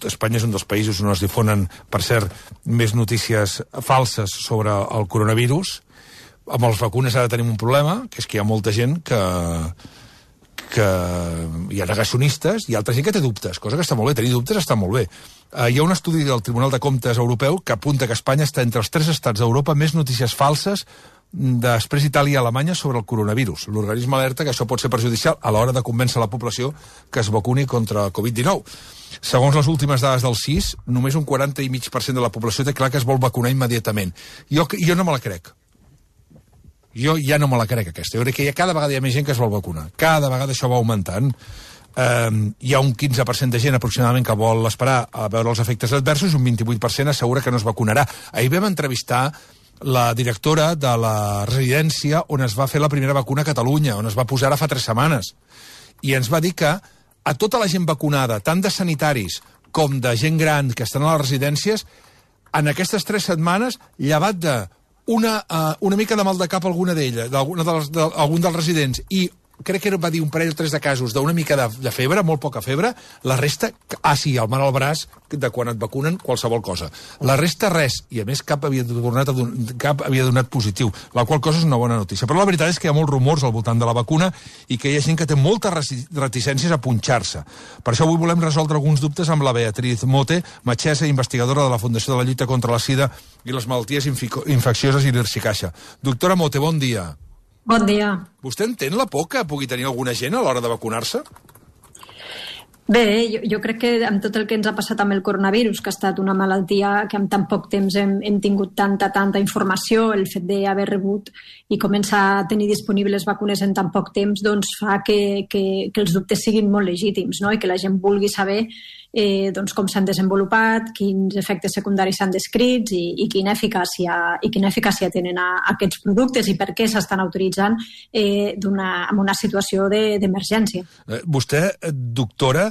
Espanya és un dels països on es difonen, per cert, més notícies falses sobre el coronavirus. Amb les vacunes ara tenim un problema, que és que hi ha molta gent que hi ha negacionistes i altra gent que té dubtes, cosa que està molt bé. Tenir dubtes està molt bé. Hi ha un estudi del Tribunal de Comptes Europeu que apunta que Espanya està entre els 3 estats d'Europa més notícies falses després Itàlia i Alemanya sobre el coronavirus. L'organisme alerta que això pot ser perjudicial a l'hora de convèncer la població que es vacuni contra el Covid-19. Segons les últimes dades del CIS, només un 40,5% de la població té clar que es vol vacunar immediatament. Jo no me la crec. Jo ja no me la crec, aquesta. Jo crec que cada vegada hi ha més gent que es vol vacunar. Cada vegada això va augmentant. Hi ha un 15% de gent aproximadament que vol esperar a veure els efectes adversos i un 28% assegura que no es vacunarà. Ahir vam entrevistar la directora de la residència on es va fer la primera vacuna a Catalunya, on es va posar ara fa 3 setmanes. I ens va dir que a tota la gent vacunada, tant de sanitaris com de gent gran que estan a les residències, en aquestes 3 setmanes, llevat de una mica de mal de cap alguna d'elles, d'algun dels residents, i crec que va dir un parell o 3 de casos d'una mica de febre, molt poca febre, la resta, sí, el mal al braç, de quan et vacunen qualsevol cosa. La resta res, i a més cap havia donat positiu, la qual cosa és una bona notícia. Però la veritat és que hi ha molts rumors al voltant de la vacuna i que hi ha gent que té moltes reticències a punxar-se. Per això avui volem resoldre alguns dubtes amb la Beatriz Mote, metgessa i investigadora de la Fundació de la Lluita contra la Sida i les malalties infeccioses i l'Irsicaxa. Doctora Mote, bon dia. Bon dia. Vostè entén la por que pugui tenir alguna gent a l'hora de vacunar-se? Bé, jo crec que amb tot el que ens ha passat amb el coronavirus, que ha estat una malaltia que en tan poc temps hem tingut tanta informació, el fet d'haver rebut i començar a tenir disponibles vacunes en tan poc temps, doncs fa que els dubtes siguin molt legítims, no? I que la gent vulgui saber doncs com s'han desenvolupat, quins efectes secundaris s'han descrits i quina eficàcia tenen aquests productes i per què s'estan autoritzant en una situació d'emergència. Vostè, doctora,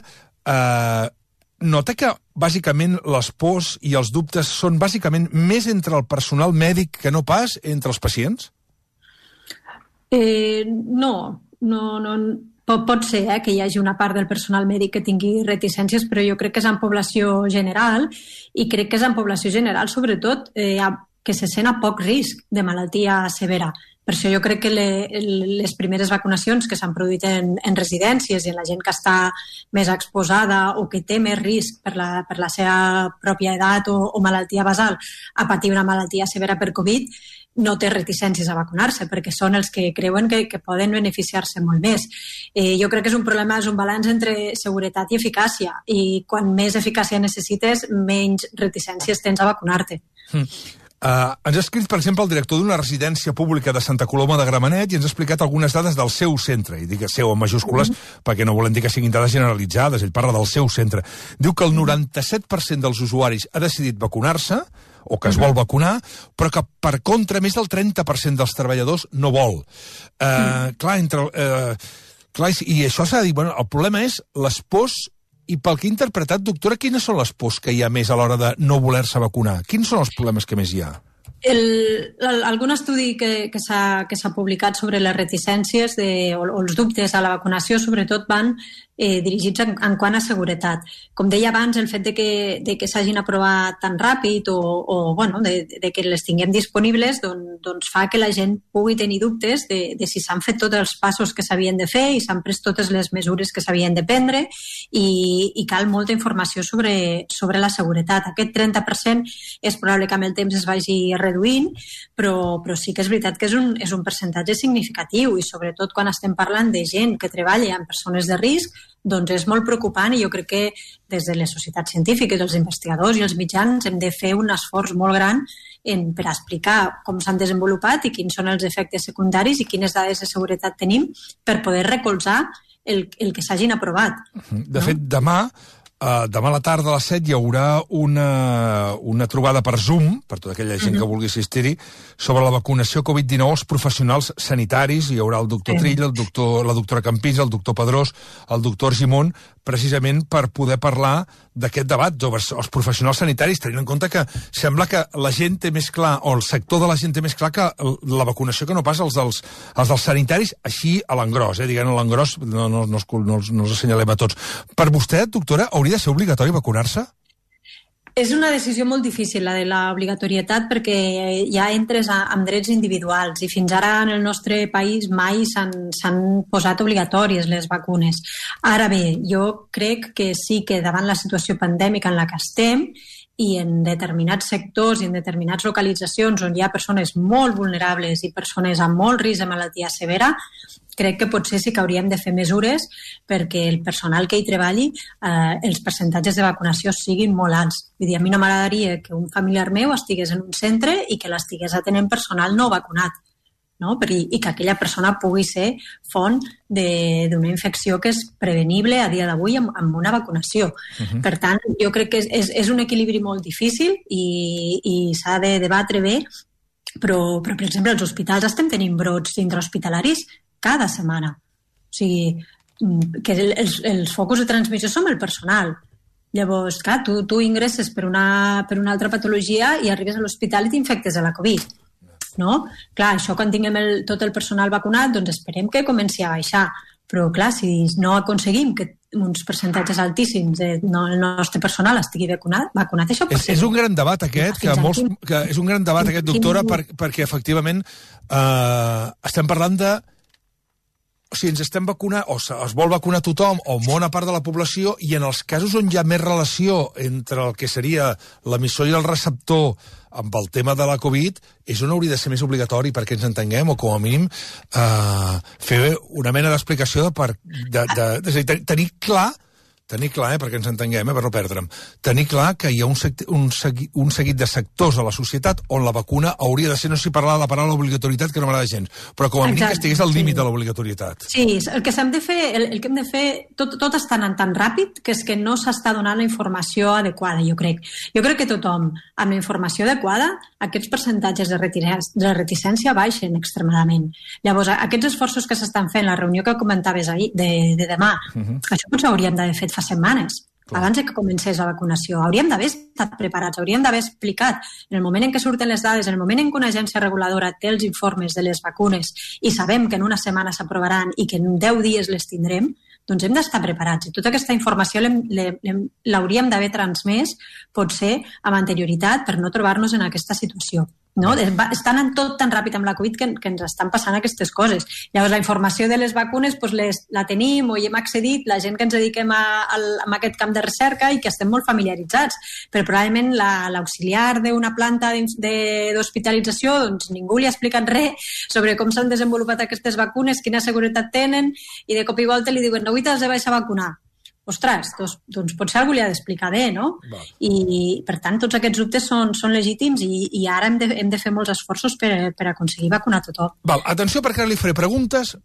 nota que bàsicament les pors i els dubtes són bàsicament més entre el personal mèdic que no pas entre els pacients? No. Pot ser que hi hagi una part del personal mèdic que tingui reticències, però jo crec que és en població general i crec que és en població general sobretot que se sent a poc risc de malaltia severa. Per això jo crec que les primeres vacunacions que s'han produït en residències i en la gent que està més exposada o que té més risc per la seva pròpia edat o malaltia basal a patir una malaltia severa per Covid no té reticències a vacunar-se, perquè són els que creuen que poden beneficiar-se molt més. Jo crec que és un problema, és un balanç entre seguretat i eficàcia, i quan més eficàcia necessites, menys reticències tens a vacunar-te. Ens ha escrit, per exemple, el director d'una residència pública de Santa Coloma de Gramenet i ens ha explicat algunes dades del seu centre, i dic seu en majúscules perquè no volem dir que siguin dades generalitzades, ell parla del seu centre. Diu que el 97% dels usuaris ha decidit vacunar-se, o que es vol vacunar, però que, per contra, més del 30% dels treballadors no vol. I això s'ha de dir, el problema és les pors. I pel que he interpretat, doctora, quines són les pors que hi ha més a l'hora de no voler-se vacunar? Quins són els problemes que més hi ha? Algun estudi que s'ha publicat sobre les reticències o els dubtes a la vacunació sobretot van dirigits en quant a seguretat. Com deia abans, el fet de que s'hagin aprovat tan ràpid o de que les tinguem disponibles doncs fa que la gent pugui tenir dubtes de si s'han fet tots els passos que s'havien de fer i s'han pres totes les mesures que s'havien de prendre i cal molta informació sobre la seguretat. Aquest 30% és probable que amb el temps es vagi reduint, però sí que és veritat que és un percentatge significatiu i sobretot quan estem parlant de gent que treballa amb persones de risc, doncs és molt preocupant i jo crec que des de les societats científiques, els investigadors i els mitjans hem de fer un esforç molt gran per explicar com s'han desenvolupat i quins són els efectes secundaris i quines dades de seguretat tenim per poder recolzar el que s'hagin aprovat. De fet, demà a la tarda a les 7 hi haurà una trobada per Zoom, per tota aquella gent que vulgui assistir-hi, sobre la vacunació Covid-19 als professionals sanitaris. Hi haurà el doctor Trill, la doctora Campins, el doctor Pedrós, el doctor Argimon, precisament per poder parlar d'aquest debat sobre els professionals sanitaris, tenint en compte que sembla que la gent té més clar, o el sector de la gent té més clar que la vacunació que no pas els dels sanitaris, així a l'engròs, diguem a l'engròs, no els assenyalem a tots. Per vostè, doctora, hauria de ser obligatori vacunar-se? És una decisió molt difícil, la de l'obligatorietat, perquè ja entres amb drets individuals i fins ara en el nostre país mai s'han posat obligatòries les vacunes. Ara bé, jo crec que sí que davant la situació pandèmica en la que estem i en determinats sectors i en determinades localitzacions on hi ha persones molt vulnerables i persones amb molt risc de malaltia severa, crec que potser sí que hauríem de fer mesures perquè el personal que hi treballi, els percentatges de vacunació siguin molt alts. Vull dir, a mi no m'agradaria que un familiar meu estigués en un centre i que l'estigués atenent personal no vacunat, no? I que aquella persona pugui ser font d'una infecció que és prevenible a dia d'avui amb una vacunació. Per tant, jo crec que és un equilibri molt difícil i s'ha de debatre bé, però per exemple, als hospitals estem tenint brots intrahospitalaris cada setmana. O sigui, que els focus de transmissió són el personal. Llavors, clar, tu ingresses per una altra patologia i arribes a l'hospital i t'infectes de la Covid. No? Clar, això quan tinguem tot el personal vacunat, doncs esperem que comenci a baixar. Però, clar, si no aconseguim que uns percentatges altíssims del nostre personal estigui vacunat, això pot ser... És un gran debat aquest, és un gran debat aquest, doctora, perquè efectivament estem parlant de... O sigui, ens estem vacunant, o es vol vacunar tothom, o bona part de la població, i en els casos on hi ha més relació entre el que seria l'emissor i el receptor amb el tema de la Covid, és on hauria de ser més obligatori perquè ens entenguem, o com a mínim fer una mena d'explicació tenir clar, perquè ens entenguem, per no perdre'm, tenir clar que hi ha un seguit de sectors a la societat on la vacuna hauria de ser, no sé si parlar de la paraula obligatorietat, que no m'agrada gens, però com a mínim que estigués al límit de l'obligatorietat. Sí, el que hem de fer, tot està anant tan ràpid que és que no s'està donant la informació adequada, jo crec. Jo crec que tothom, amb la informació adequada, aquests percentatges de reticència baixen extremadament. Llavors, aquests esforços que s'estan fent, la reunió que comentaves ahir, de demà, això potser hauríem d'haver fet fa setmanes, abans que comencés la vacunació. Hauríem d'haver estat preparats, hauríem d'haver explicat en el moment en què surten les dades, en el moment en què una agència reguladora té els informes de les vacunes i sabem que en una setmana s'aprovaran i que en 10 dies les tindrem, doncs hem d'estar preparats. I tota aquesta informació l'hauríem d'haver transmès, potser, amb anterioritat, per no trobar-nos en aquesta situació. No? Està anant tot tan ràpid amb la Covid que ens estan passant aquestes coses. Llavors, la informació de les vacunes la tenim o hi hem accedit la gent que ens dediquem a aquest camp de recerca i que estem molt familiaritzats. Però probablement l'auxiliar d'una planta d'hospitalització, doncs ningú li ha explicat res sobre com s'han desenvolupat aquestes vacunes, quina seguretat tenen, i de cop i volta li diuen avui t'has de baixar a vacunar. Ostres, doncs potser algú li ha d'explicar bé, no? I, per tant, tots aquests dubtes són legítims i ara hem de fer molts esforços per aconseguir vacunar tothom. Atenció, perquè ara li faré preguntes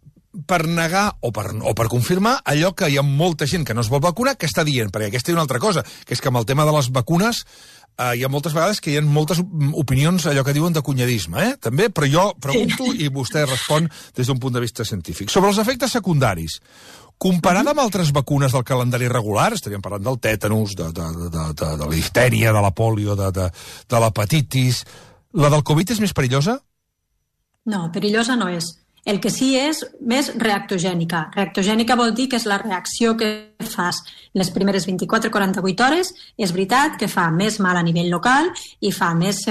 per negar o per confirmar allò que hi ha molta gent que no es vol vacunar que està dient, perquè aquesta és una altra cosa, que és que amb el tema de les vacunes hi ha moltes vegades que hi ha moltes opinions, allò que diuen de cunyadisme, també, però jo pregunto i vostè respon des d'un punt de vista científic. Sobre els efectes secundaris, comparada amb altres vacunes del calendari regular, estaríem parlant del tètanus, de la diftèria, de la pòlio, de l'hepatitis, la del Covid és més perillosa? No, perillosa no és. El que sí és més reactogènica. Reactogènica vol dir que és la reacció que fas les primeres 24-48 hores. És veritat que fa més mal a nivell local i fa més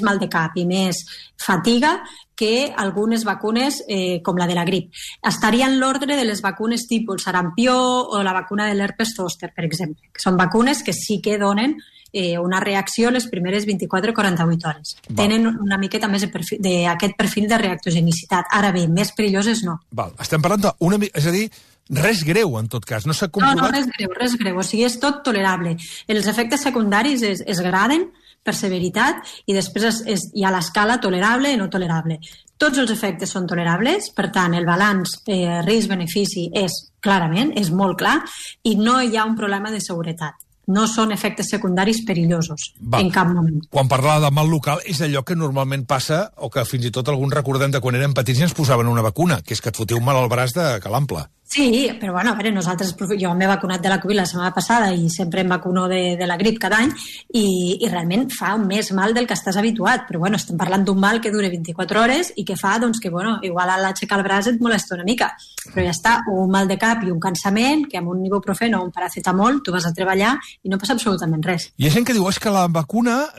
mal de cap i més fatiga que algunes vacunes com la de la grip. Estaria en l'ordre de les vacunes tipus el sarampió o la vacuna de l'herpes zòster, per exemple, que són vacunes que sí que donen una reacció les primeres 24-48 hores. Tenen una miqueta més d'aquest perfil de reactogenicitat. Ara bé, més perilloses no. Estem parlant és a dir, res greu, en tot cas. No s'ha comprovat... No, res greu. O sigui, és tot tolerable. Els efectes secundaris es graden per severitat i després hi ha l'escala tolerable i no tolerable. Tots els efectes són tolerables, per tant, el balanç risc-benefici és molt clar i no hi ha un problema de seguretat. No són efectes secundaris perillosos en cap moment. Quan parlava de mal local és allò que normalment passa, o que fins i tot alguns recordem de quan érem petits i ens posaven una vacuna, que és que et fotia un mal al braç de calample. Sí, però bueno, a veure, nosaltres, jo m'he vacunat de la Covid la setmana passada i sempre em vacuno de la grip cada any i realment fa més mal del que estàs habituat, però bueno, estem parlant d'un mal que dura 24 hores i que fa, doncs, que bueno, igual a l'aixecar el braç et molesta una mica, però ja està, un mal de cap i un cansament, que amb un ibuprofeno o un paracetamol tu vas a treballar i no passa absolutament res. Hi ha gent que diu, és que la vacuna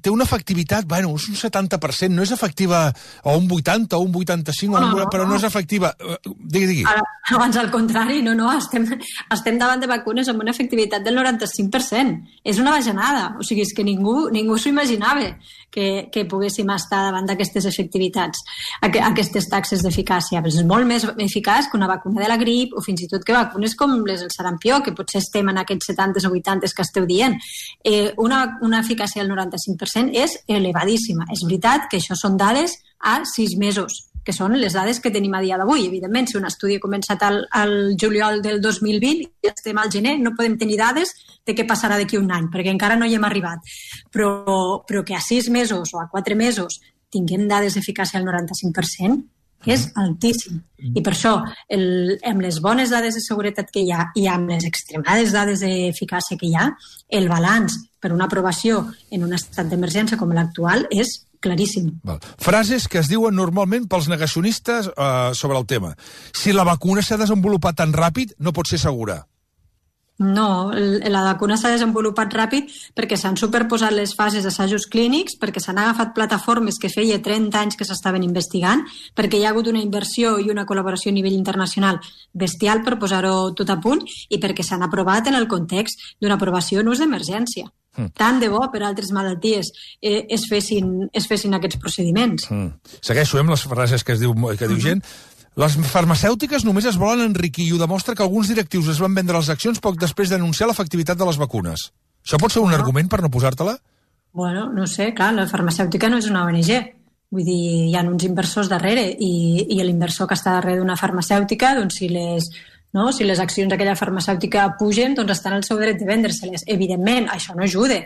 té una efectivitat, bueno, és un 70%, no és efectiva o un 80 o un 85, però no és efectiva. Digui. Abans al contrari, no, estem davant de vacunes amb una efectivitat del 95%. És una bajanada, o sigui, és que ningú s'ho imaginava que poguéssim estar davant d'aquestes efectivitats, aquestes taxes d'eficàcia. Però és molt més eficaç que una vacuna de la grip o fins i tot que vacunes com les del sarampió, que potser estem en aquests 70 o 80 que esteu dient. Una eficàcia del 95% és elevadíssima. És veritat que això són dades a 6 mesos, que són les dades que tenim a dia d'avui. Evidentment, si un estudi ha començat al juliol del 2020 i estem al gener, no podem tenir dades de què passarà d'aquí un any, perquè encara no hi hem arribat. Però que a 6 mesos o a 4 mesos tinguem dades d'eficàcia al 95% és altíssim. I per això, amb les bones dades de seguretat que hi ha i amb les extremades dades d'eficàcia que hi ha, el balanç per una aprovació en un estat d'emergència com l'actual és claríssim. Frases que es diuen normalment pels negacionistes sobre el tema. Si la vacuna s'ha desenvolupat tan ràpid, no pot ser segura. No, la vacuna s'ha desenvolupat ràpid perquè s'han superposat les fases d'assajos clínics, perquè s'han agafat plataformes que feia 30 anys que s'estaven investigant, perquè hi ha hagut una inversió i una col·laboració a nivell internacional bestial per posar-ho tot a punt i perquè s'han aprovat en el context d'una aprovació en ús d'emergència. Tant de bo per altres malalties es fessin aquests procediments. Segueixo amb les frases que diu gent. Les farmacèutiques només es volen enriquir i ho demostra que alguns directius es van vendre les accions poc després d'anunciar l'efectivitat de les vacunes. Això pot ser un argument per no posar-te-la? Bueno, no sé, clar, la farmacèutica no és una ONG. Vull dir, hi ha uns inversors darrere i l'inversor que està darrere d'una farmacèutica, doncs si les accions d'aquella farmacèutica pugen, doncs estan al seu dret de vendre-se-les. Evidentment, això no ajuda.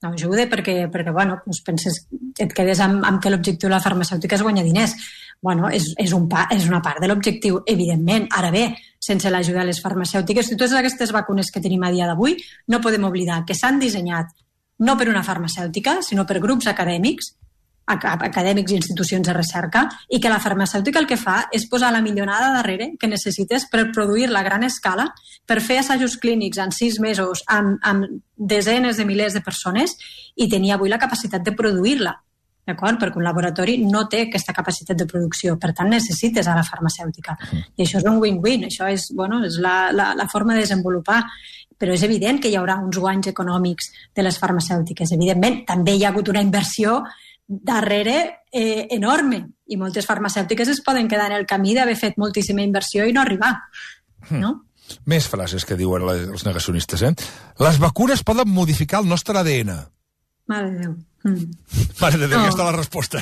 No ajuda perquè bueno, doncs penses, et quedes amb que l'objectiu de la farmacèutica és guanyar diners. Bueno, és una part de l'objectiu, evidentment. Ara bé, sense l'ajuda de les farmacèutiques, totes aquestes vacunes que tenim a dia d'avui, no podem oblidar que s'han dissenyat no per una farmacèutica, sinó per grups acadèmics i institucions de recerca, i que la farmacèutica el que fa és posar la millonada darrere que necessites per produir-la a gran escala, per fer assajos clínics en 6 mesos amb desenes de milers de persones i tenir avui la capacitat de produir-la. D'acord? Perquè un laboratori no té aquesta capacitat de producció, per tant necessites a la farmacèutica. I això és un win-win, això és la forma de desenvolupar. Però és evident que hi haurà uns guanys econòmics de les farmacèutiques. Evidentment, també hi ha hagut una inversió darrere enorme i moltes farmacèutiques es poden quedar en el camí d'haver fet moltíssima inversió i no arribar. No? Més frases que diuen els negacionistes. Les vacunes poden modificar el nostre ADN. Mare de Déu. Mare de Déu, aquesta és la resposta.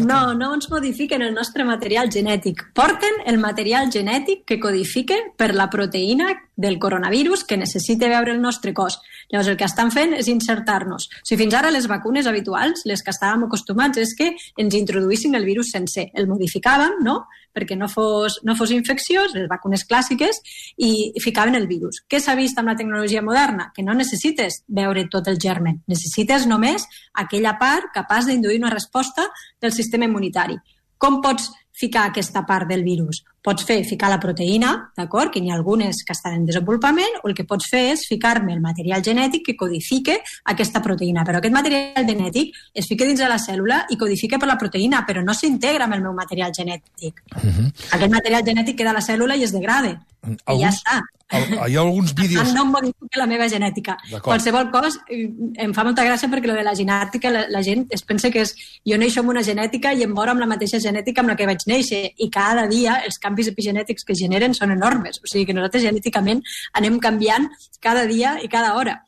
No ens modifiquen el nostre material genètic. Porten el material genètic que codifica per la proteïna del coronavirus que necessita veure el nostre cos. Llavors, el que estan fent és insertar-nos. O sigui, fins ara les vacunes habituals, les que estàvem acostumats, és que ens introduïssin el virus sencer. El modificàvem, no?, perquè no fos infecciós, les vacunes clàssiques, i ficaven el virus. Què s'ha vist amb la tecnologia moderna? Que no necessites veure tot el germen, necessites només aquella part capaç d'induir una resposta del sistema immunitari. Com pots ficar aquesta part del virus? Pots ficar la proteïna, d'acord, que n'hi ha algunes que estan en desenvolupament, o el que pots fer és ficar-me el material genètic que codifique aquesta proteïna. Però aquest material genètic es fica dins de la cèl·lula i codifica per la proteïna, però no s'integra amb el meu material genètic. Aquest material genètic queda a la cèl·lula i es degrada. I ja està. Hi ha alguns vídeos... No em modifica la meva genètica. Qualsevol cosa, em fa molta gràcia perquè lo de la genètica, la gent es pensa que és jo neixo amb una genètica i em moro amb la mateixa genètica amb la que vaig néixer, i cada dia els canvis epigenètics que generen són enormes. O sigui que nosaltres genèticament anem canviant cada dia i cada hora.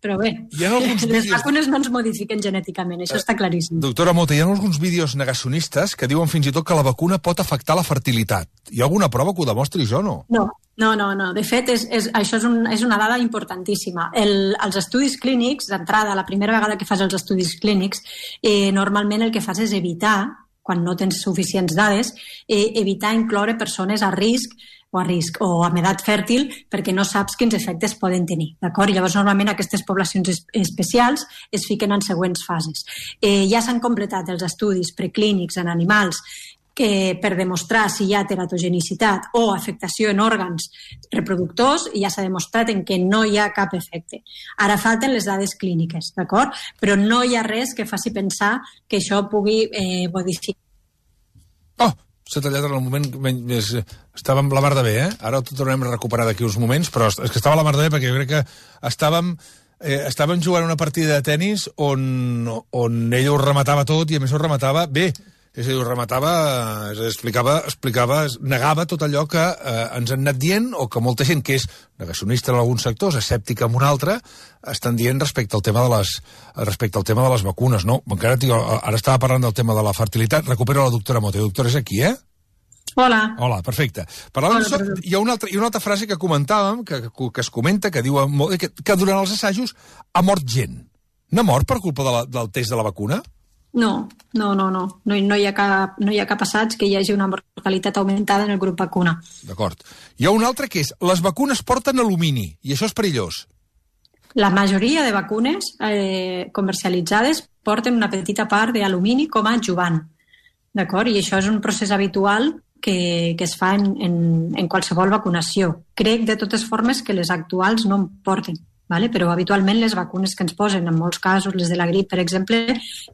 Però bé, les vacunes no ens modifiquen genèticament, això està claríssim. Doctora Mota, hi ha alguns vídeos negacionistes que diuen fins i tot que la vacuna pot afectar la fertilitat. Hi ha alguna prova que ho demostri, això, no? No. De fet, això és una dada importantíssima. Els estudis clínics, d'entrada, la primera vegada que fas els estudis clínics, normalment el que fas és evitar quan no tens suficients dades, evitar incloure persones a risc o amb edat fèrtil perquè no saps quins efectes poden tenir. D'acord? Llavors, normalment, aquestes poblacions especials es fiquen en següents fases. Ja s'han completat els estudis preclínics en animals per demostrar si hi ha teratogenicitat o afectació en òrgans reproductors, i ja s'ha demostrat en què no hi ha cap efecte. Ara falten les dades clíniques, d'acord? Però no hi ha res que faci pensar que això pugui modificar. Oh, s'ha tallat en el moment més... Estàvem la mar de bé, eh? Ara ho tornem a recuperar d'aquí uns moments, però és que estava la mar de bé perquè jo crec que estàvem jugant una partida de tennis on ell ho rematava tot i a més ho rematava bé. És a dir, ho rematava, explicava, negava tot allò que ens han anat dient o que molta gent que és negacionista en alguns sectors, escèptica en un altre, estan dient respecte al tema de les vacunes, no? Encara, ara estava parlant del tema de la fertilitat. Recupero la doctora Mote. Doctora, és aquí, eh? Hola. Hola, perfecte. Hi ha una altra frase que comentàvem, que es comenta, que diu que durant els assajos ha mort gent. N'ha mort per culpa del test de la vacuna? No hi ha cap assaig que hi hagi una mortalitat augmentada en el grup vacuna. D'acord. Hi ha un altre que és, les vacunes porten alumini, i això és perillós. La majoria de vacunes comercialitzades porten una petita part d'alumini com a adjuvant. D'acord? I això és un procés habitual que es fa en qualsevol vacunació. Crec, de totes formes, que les actuals no en porten. Vale? Però habitualment les vacunes que ens posen, en molts casos, les de la grip, per exemple,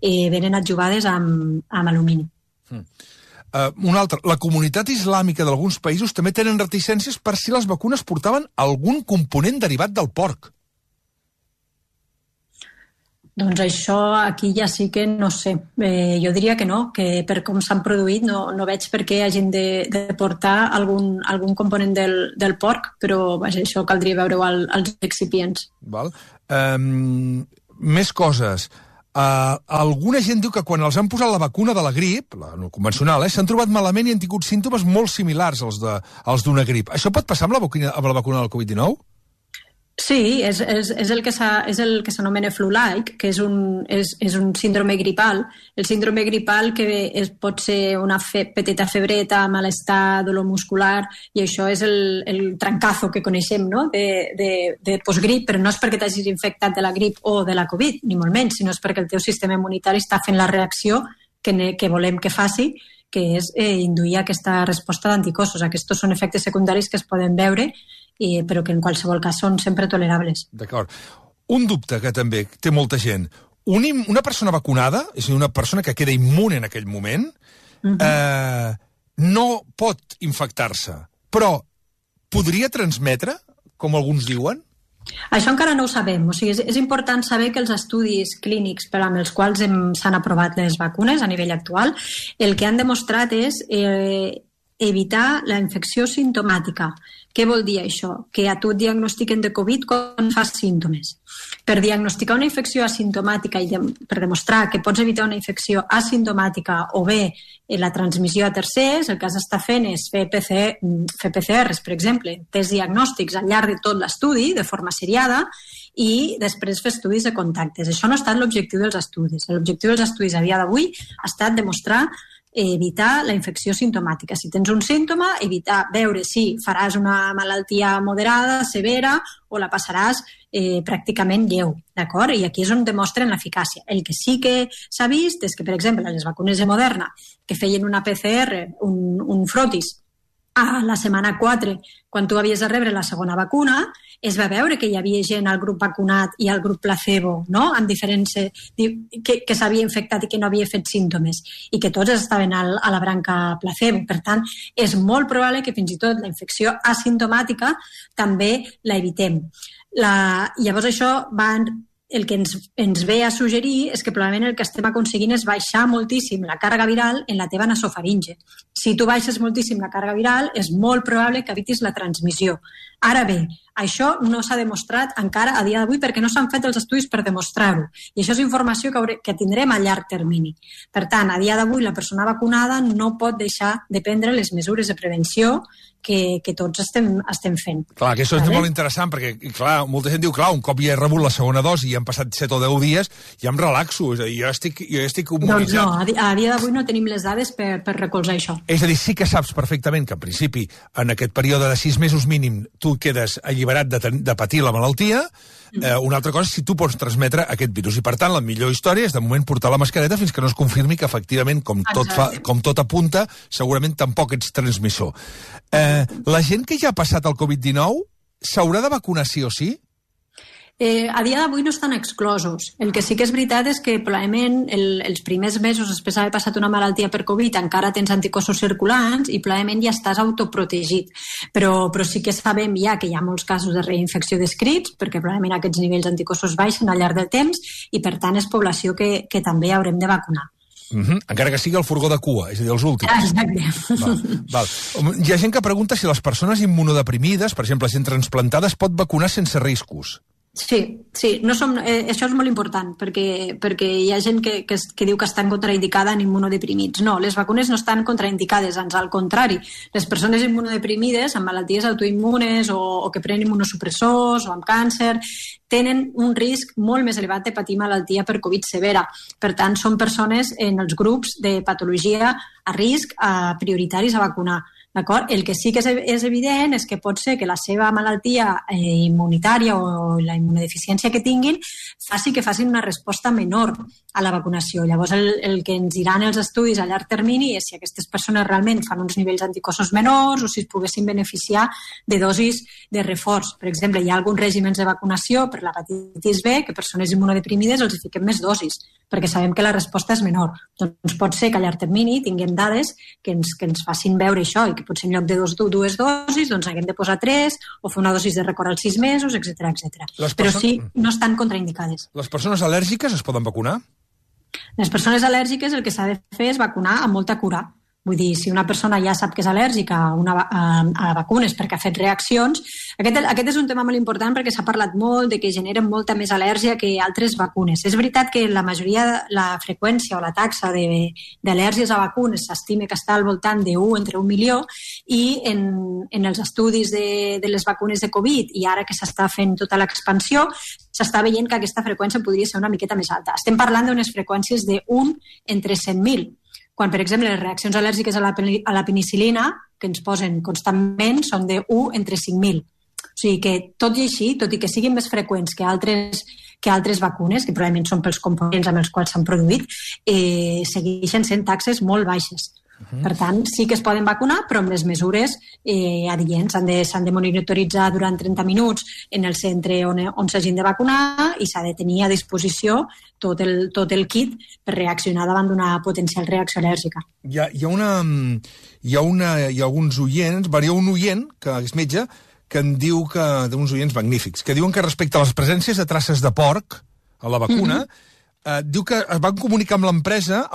venen adjuvades amb alumini. Un altre, la comunitat islàmica d'alguns països també tenen reticències per si les vacunes portaven algun component derivat del porc. Doncs això aquí ja sí que no sé. Jo diria que no, que per com s'han produït no veig per què hagin de portar algun component del porc, però això caldria veure-ho als excipients. Val. Més coses. Alguna gent diu que quan els han posat la vacuna de la grip, la no convencional, s'han trobat malament i han tingut símptomes molt similars als d'una grip. Això pot passar amb la vacuna del Covid-19? Sí, és el que s'anomena flu-like, que és un síndrome gripal. El síndrome gripal que pot ser una petita febreta, malestar, dolor muscular, i això és el trancazo que coneixem, no? de postgrip, però no és perquè t'hagis infectat de la grip o de la Covid, ni molt menys, sinó és perquè el teu sistema immunitari està fent la reacció que volem que faci, que és induir aquesta resposta d'anticossos. Aquests són efectes secundaris que es poden veure, però que en qualsevol cas són sempre tolerables. D'acord. Un dubte que també té molta gent. Una persona vacunada, és a dir, una persona que queda immune en aquell moment, no pot infectar-se, però podria transmetre, com alguns diuen? Això encara no ho sabem. O sigui, és important saber que els estudis clínics per amb els quals s'han aprovat les vacunes a nivell actual, el que han demostrat és evitar la infecció simptomàtica. Què vol dir això? Que a tu et diagnostiquen de Covid quan fas símptomes. Per diagnosticar una infecció asimptomàtica i per demostrar que pots evitar una infecció asimptomàtica o bé la transmissió a tercers, el que has d'estar fent és fer PCRs, per exemple, tests diagnòstics al llarg de tot l'estudi, de forma seriada, i després fer estudis de contactes. Això no ha estat l'objectiu dels estudis. L'objectiu dels estudis a dia d'avui ha estat demostrar evitar la infecció simptomàtica. Si tens un símptoma, veure si faràs una malaltia moderada, severa, o la passaràs pràcticament lleu, d'acord? I aquí és on demostren l'eficàcia. El que sí que s'ha vist és que, per exemple, les vacunes de Moderna, que feien una PCR, un frotis, a la setmana 4, quan tu havies de rebre la segona vacuna, es va veure que hi havia gent al grup vacunat i al grup placebo, no? Amb diferents que s'havia infectat i que no havia fet símptomes, i que tots estaven a la branca placebo. Per tant, és molt probable que fins i tot la infecció asimptomàtica també la evitem. Llavors això el que ens ve a suggerir és que probablement el que estem aconseguint és baixar moltíssim la càrrega viral en la teva nasofaringe. Si tu baixes moltíssim la càrrega viral, és molt probable que evitis la transmissió. Ara bé, Això no s'ha demostrat encara a dia d'avui perquè no s'han fet els estudis per demostrar-ho. I això és informació que tindrem a llarg termini. Per tant, a dia d'avui la persona vacunada no pot deixar de prendre les mesures de prevenció que tots estem fent. Clar, que això és molt interessant, perquè, clar, molta gent diu, clar, un cop ja he rebut la segona dosi i han passat 7 o 10 dies, ja em relaxo, és a dir, jo estic immunitzat. Doncs no, a dia d'avui no tenim les dades per recolzar això. És a dir, sí que saps perfectament que, en principi, en aquest període de 6 mesos mínim, tu quedes alliberat de patir la malaltia. Una altra cosa és si tu pots transmetre aquest virus. I, per tant, la millor història és, de moment, portar la mascareta fins que no es confirmi que, efectivament, com tot apunta, segurament tampoc ets transmissor. La gent que ja ha passat el Covid-19 s'haurà de vacunar sí o sí? A dia d'avui no estan exclosos. El que sí que és veritat és que probablement els primers mesos després d'haver passat una malaltia per Covid encara tens anticossos circulants i probablement ja estàs autoprotegit. Però sí que sabem ja que hi ha molts casos de reinfecció descrits perquè probablement aquests nivells d'anticossos baixen al llarg del temps i per tant és població que també haurem de vacunar. Encara que sigui el furgó de cua, és a dir, els últims. Exacte. Val. Hi ha gent que pregunta si les persones immunodeprimides, per exemple, gent transplantada, es pot vacunar sense riscos. Sí, això és molt important perquè hi ha gent que diu que estan contraindicada en immunodeprimits. No, les vacunes no estan contraindicades, ans al contrari. Les persones immunodeprimides amb malalties autoimmunes o que prenen immunosupressors o amb càncer tenen un risc molt més elevat de patir malaltia per Covid severa. Per tant, són persones en els grups de patologia a risc prioritaris a vacunar. D'acord? El que sí que és evident és que pot ser que la seva malaltia immunitària o la immunodeficiència que tinguin faci que facin una resposta menor a la vacunació. Llavors, el que ens diran els estudis a llarg termini és si aquestes persones realment fan uns nivells d'anticossos menors o si es poguessin beneficiar de dosis de reforç. Per exemple, hi ha alguns règims de vacunació per l'hepatitis B que persones immunodeprimides els fiquem més dosis perquè sabem que la resposta és menor. Doncs pot ser que a llarg termini tinguem dades que ens facin veure això i que potser en lloc de dues dosis doncs haguem de posar 3 o fer una dosis de record als 6 mesos, etc. Però sí, no estan contraindicades. Les persones al·lèrgiques es poden vacunar? Les persones al·lèrgiques el que s'ha de fer és vacunar amb molta cura. Vull dir, si una persona ja sap que és al·lèrgica a vacunes perquè ha fet reaccions, aquest és un tema molt important perquè s'ha parlat molt de que generen molta més al·lèrgia que altres vacunes. És veritat que la freqüència o la taxa d'al·lèrgies a vacunes s'estima que està al voltant entre 1 milió i en els estudis de les vacunes de Covid i ara que s'està fent tota l'expansió s'està veient que aquesta freqüència podria ser una miqueta més alta. Estem parlant d'unes freqüències d'1 entre 100.000. Quan, per exemple, les reaccions al·lèrgiques a la penicil·lina, que ens posen constantment, són de 1 entre 5.000. O sigui que, tot i així, tot i que siguin més freqüents que altres vacunes, que probablement són pels components amb els quals s'han produït, segueixen sent taxes molt baixes. Per tant, sí que es poden vacunar, però amb les mesures adients. S'han de monitoritzar durant 30 minuts en el centre on s'hagin de vacunar i s'ha de tenir a disposició tot el kit per reaccionar davant d'una potencial reacció al·lèrgica. Hi ha alguns oients, hi ha un oient, que és metge, que em diu que, d'uns oients magnífics, que diuen que respecte a les presències de traces de porc a la vacuna, diu que es van comunicar amb l'empresa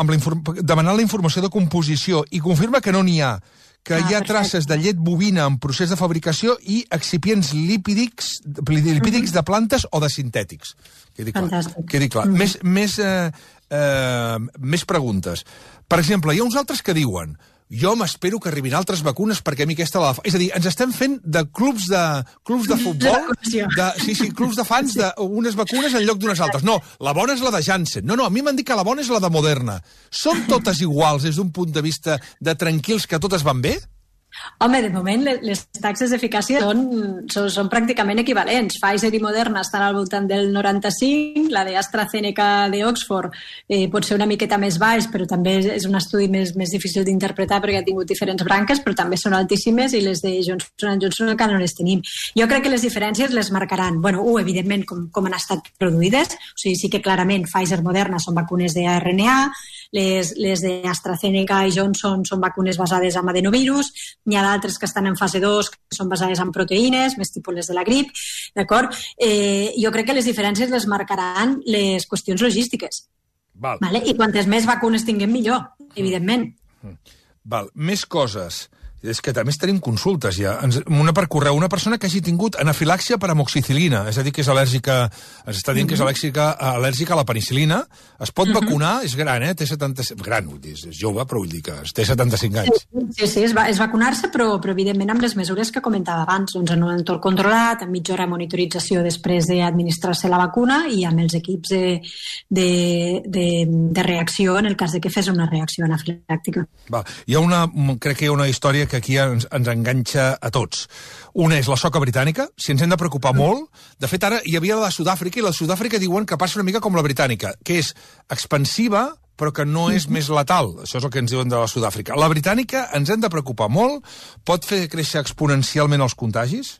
demanant la informació de composició i confirma que no n'hi ha, que hi ha traces de llet bovina en procés de fabricació i excipients lipídics de plantes o de sintètics. Quedi clar. Més preguntes. Per exemple, hi ha uns altres que diuen jo m'espero que arribin altres vacunes perquè a mi aquesta la... És a dir, ens estem fent de clubs de futbol, clubs de fans d'unes vacunes en lloc d'unes altres. No, la bona és la de Janssen. No, a mi m'han dit que la bona és la de Moderna. Són totes iguals des d'un punt de vista de tranquils que totes van bé? Home, de moment les taxes d'eficàcia són pràcticament equivalents. Pfizer i Moderna estan al voltant del 95, la d'AstraZeneca d'Oxford pot ser una miqueta més baix, però també és un estudi més difícil d'interpretar perquè ha tingut diferents branques, però també són altíssimes i les de Johnson & Johnson encara no les tenim. Jo crec que les diferències les marcaran. Bueno, evidentment, com han estat produïdes. O sigui, sí que clarament Pfizer i Moderna són vacunes d'RNA, les d'AstraZeneca i Johnson són vacunes basades en adenovirus, n'hi ha d'altres que estan en fase 2 que són basades en proteïnes, més tipus les de la grip, d'acord? Jo crec que les diferències les marcaran les qüestions logístiques. Vale? I quantes més vacunes tinguem millor, evidentment. Més coses. És que també tenim consultes ja. Una per correu, una persona que hagi tingut anafilàxia per amoxicil·lina, és a dir, que és al·lèrgica, ens està dient que és al·lèrgica a la penicil·lina, es pot vacunar, és gran, té 75... Gran, vull dir, és jove, però vull dir que té 75 anys. Sí, és vacunar-se, però evidentment amb les mesures que comentava abans, doncs en un entorn controlat, amb mitja hora de monitorització després d'administrar-se la vacuna i amb els equips de reacció en el cas de que fes una reacció anafilàctica. Crec que hi ha una història que aquí ens enganxa a tots. Una és la soca britànica, si ens hem de preocupar molt. De fet, ara hi havia la de Sud-àfrica, i la de Sud-àfrica diuen que passa una mica com la britànica, que és expansiva, però que no és més letal. Això és el que ens diuen de la Sud-àfrica. La britànica ens hem de preocupar molt? Pot fer créixer exponencialment els contagis?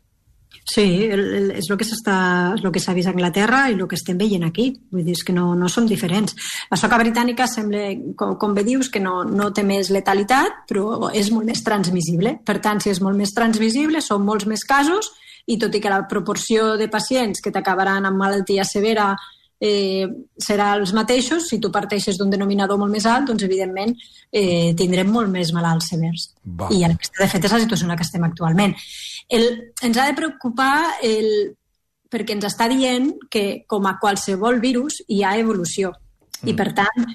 Sí, és el que s'ha vist a Anglaterra i el que estem veient aquí. Vull dir, que no som diferents. La soca britànica sembla, com bé dius, que no té més letalitat, però és molt més transmissible. Per tant, si és molt més transmissible, són molts més casos, i tot i que la proporció de pacients que t'acabaran amb malaltia severa serà els mateixos, si tu parteixes d'un denominador molt més alt, doncs evidentment tindrem molt més malalts severs. I aquesta, de fet, és la situació en la que estem actualment. Ens ha de preocupar perquè ens està dient que, com a qualsevol virus, hi ha evolució. I, per tant,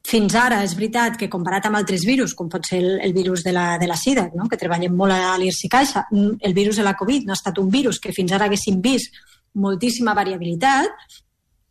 fins ara és veritat que, comparat amb altres virus, com pot ser el virus de la sida, no? Que treballem molt a l'IRSI-Caixa, el virus de la Covid no ha estat un virus que fins ara haguéssim vist moltíssima variabilitat.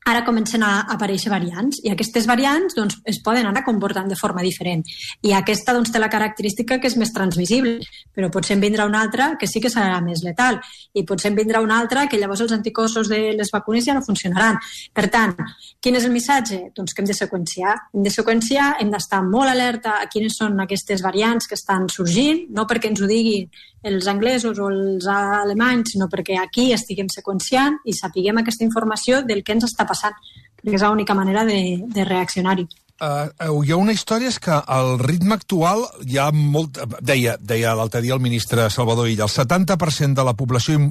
Ara comencen a aparèixer variants, i aquestes variants doncs, es poden anar comportant de forma diferent. I aquesta doncs, té la característica que és més transmissible, però potser en vindrà una altra que sí que serà més letal, i potser en vindrà una altra que llavors els anticossos de les vacunes ja no funcionaran. Per tant, quin és el missatge? Doncs que hem de seqüenciar. Hem d'estar molt alerta a quines són aquestes variants que estan sorgint, no perquè ens ho diguin els anglesos o els alemanys, sinó perquè aquí estiguem seqüenciant i sapiguem aquesta informació del que ens està passant, perquè és l'única manera de reaccionar-hi. Hi ha una història, és que al ritme actual hi ha molt... Deia l'altre dia el ministre Salvador Illa, el 70% de la població,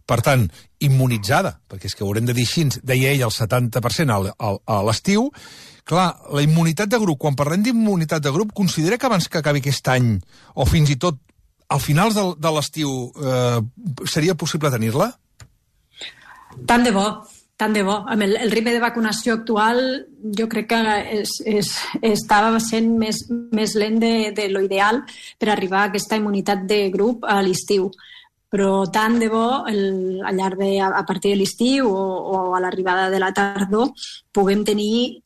per tant, immunitzada, perquè és que ho haurem de dir així, deia ell el 70% a l'estiu. Clar, la immunitat de grup, quan parlem d'immunitat de grup, considera que abans que acabi aquest any, o fins i tot al final de l'estiu, seria possible tenir-la? Tant de bo. Amb el ritme de vacunació actual, jo crec que estava sent més lent de lo ideal per arribar a aquesta immunitat de grup a l'estiu. Però tant de bo, a partir de l'estiu o a l'arribada de la tardor, puguem tenir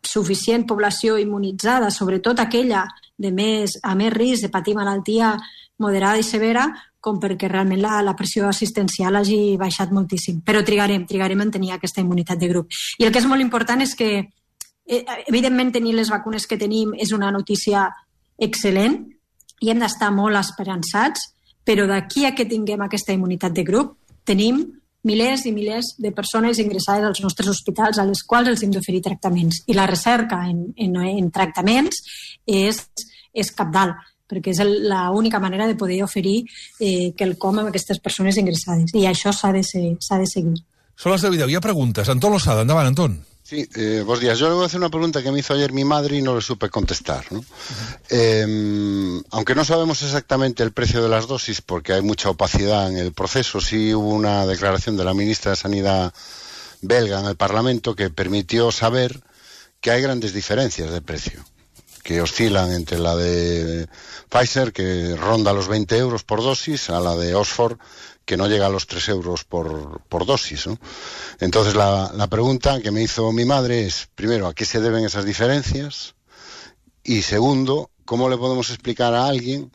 suficient població immunitzada, sobretot aquella a més risc de patir malaltia moderada i severa, com perquè realment la pressió assistencial hagi baixat moltíssim. Però trigarem en tenir aquesta immunitat de grup. I el que és molt important és que, evidentment, tenir les vacunes que tenim és una notícia excel·lent i hem d'estar molt esperançats, però d'aquí a que tinguem aquesta immunitat de grup, tenim milers i milers de persones ingressades als nostres hospitals a les quals els hem d'oferir tractaments. I la recerca en tractaments és cabdal, perquè és l'única manera de poder oferir quelcom a aquestes persones ingressades. I això s'ha de seguir. Son las de 10. Hi ha preguntes. Antón Losada, endavant, Antón. Sí, buenos días. Yo le voy a hacer una pregunta que me hizo ayer mi madre y no le supe contestar, ¿no? Aunque no sabemos exactamente el precio de las dosis, porque hay mucha opacidad en el proceso, sí hubo una declaración de la ministra de Sanidad belga en el Parlamento que permitió saber que hay grandes diferencias de precio, que oscilan entre la de Pfizer, que ronda los 20 euros por dosis, a la de Oxford, que no llega a los 3 euros por dosis, ¿no? Entonces la pregunta que me hizo mi madre es, primero, ¿a qué se deben esas diferencias? Y segundo, ¿cómo le podemos explicar a alguien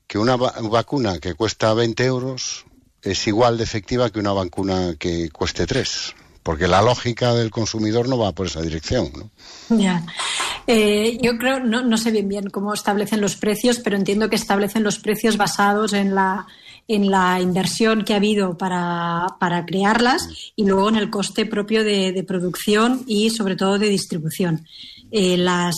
que una vacuna que cuesta 20 euros es igual de efectiva que una vacuna que cueste 3? Porque la lógica del consumidor no va por esa dirección, ¿no? Ya. Yo creo, no sé bien cómo establecen los precios, pero entiendo que establecen los precios basados en la inversión que ha habido para crearlas y luego en el coste propio de producción y sobre todo de distribución. las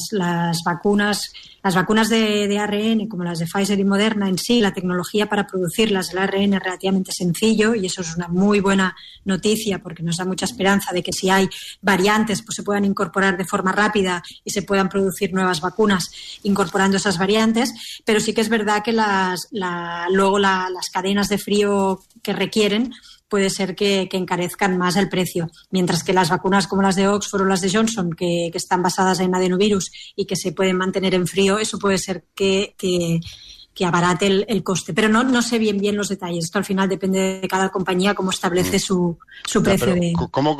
vacunas de ARN, como las de Pfizer y Moderna en sí, la tecnología para producirlas, el ARN es relativamente sencillo y eso es una muy buena noticia porque nos da mucha esperanza de que si hay variantes pues se puedan incorporar de forma rápida y se puedan producir nuevas vacunas incorporando esas variantes, pero sí que es verdad que luego las cadenas de frío que requieren puede ser que encarezcan más el precio, mientras que las vacunas como las de Oxford o las de Johnson, que están basadas en adenovirus y que se pueden mantener en frío, eso puede ser que abarate el coste. Pero no sé bien los detalles. Esto al final depende de cada compañía cómo establece su precio. ¿Cómo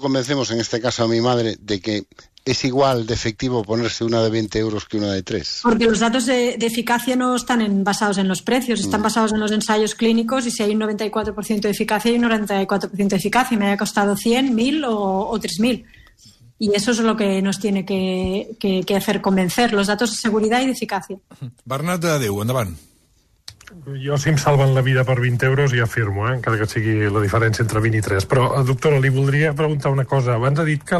convencemos en este caso a mi madre de que es igual de efectivo ponerse una de 20 euros que una de 3? Porque los datos de eficacia no están basados en los precios, están basados en los ensayos clínicos y si hay un 94% de eficacia, hay un 94% de eficacia. Me haya costado 100, 1.000 o 3.000. Y eso es lo que nos tiene que hacer convencer, los datos de seguridad y de eficacia. Bernat de Déu, endavant. Jo, si em salven la vida per 20 euros, ja firmo, encara que sigui la diferència entre 20 i 3. Però, doctora, li voldria preguntar una cosa. Abans ha dit que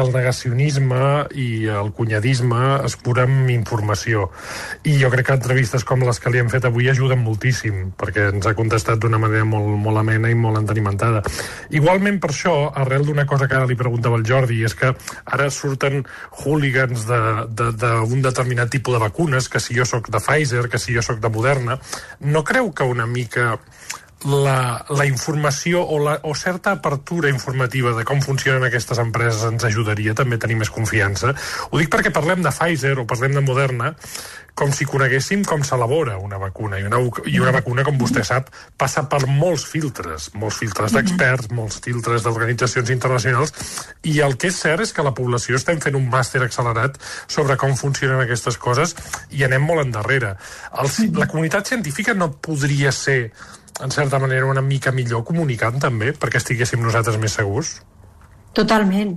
el negacionisme i el cunyadisme es cura amb informació. I jo crec que entrevistes com les que li hem fet avui ajuden moltíssim, perquè ens ha contestat d'una manera molt amena i molt entenimentada. Igualment, per això, arrel d'una cosa que ara li preguntava el Jordi, és que ara surten hooligans d'un determinat tipus de vacunes, que si jo sóc de Pfizer, que si jo sóc de Moderna. No creu que una mica la informació o certa apertura informativa de com funcionen aquestes empreses ens ajudaria també a tenir més confiança? Ho dic perquè parlem de Pfizer o parlem de Moderna com si coneguéssim com s'elabora una vacuna. I una vacuna, com vostè sap, passa per molts filtres d'experts, molts filtres d'organitzacions internacionals, i el que és cert és que la població estem fent un màster accelerat sobre com funcionen aquestes coses i anem molt endarrere. La comunitat científica no podria ser, en certa manera, una mica millor comunicant també, perquè estiguéssim nosaltres més segurs? Totalment.